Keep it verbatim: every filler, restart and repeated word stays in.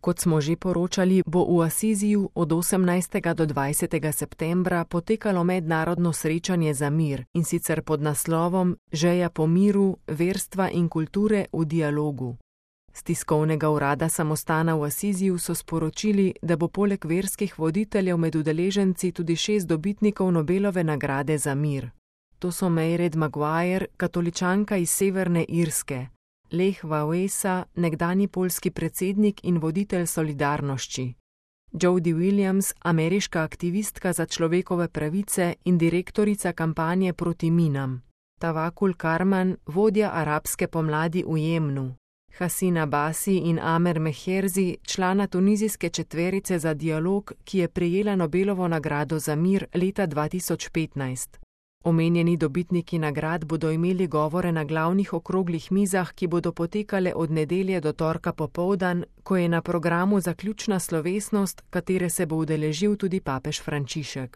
Kot smo že poročali, bo v Asiziju od osemnajstega do dvajsetega septembra potekalo mednarodno srečanje za mir, in sicer pod naslovom Žeja po miru, verstva in kulture v dialogu. Z tiskovnega urada samostana v Asiziju so sporočili, da bo poleg verskih voditeljev med udeleženci tudi šest dobitnikov Nobelove nagrade za mir. To so Mairead Maguire, katoličanka iz Severne Irske, Lech Wałęsa, nekdanji poljski predsednik in voditelj Solidarnošči, Jody Williams, ameriška aktivistka za človekove pravice in direktorica kampanje proti minam, Tawakkul Karman, vodja arabske pomladi v Jemnu, Hasina Basi in Amer Meherzi, člana tunizijske četverice za dialog, ki je prejela Nobelovo nagrado za mir leta dva tisoč petnajst. Omenjeni dobitniki nagrad bodo imeli govore na glavnih okroglih mizah, ki bodo potekale od nedelje do torka popoldan, ko je na programu zaključna slovesnost, katere se bo udeležil tudi papež Frančišek.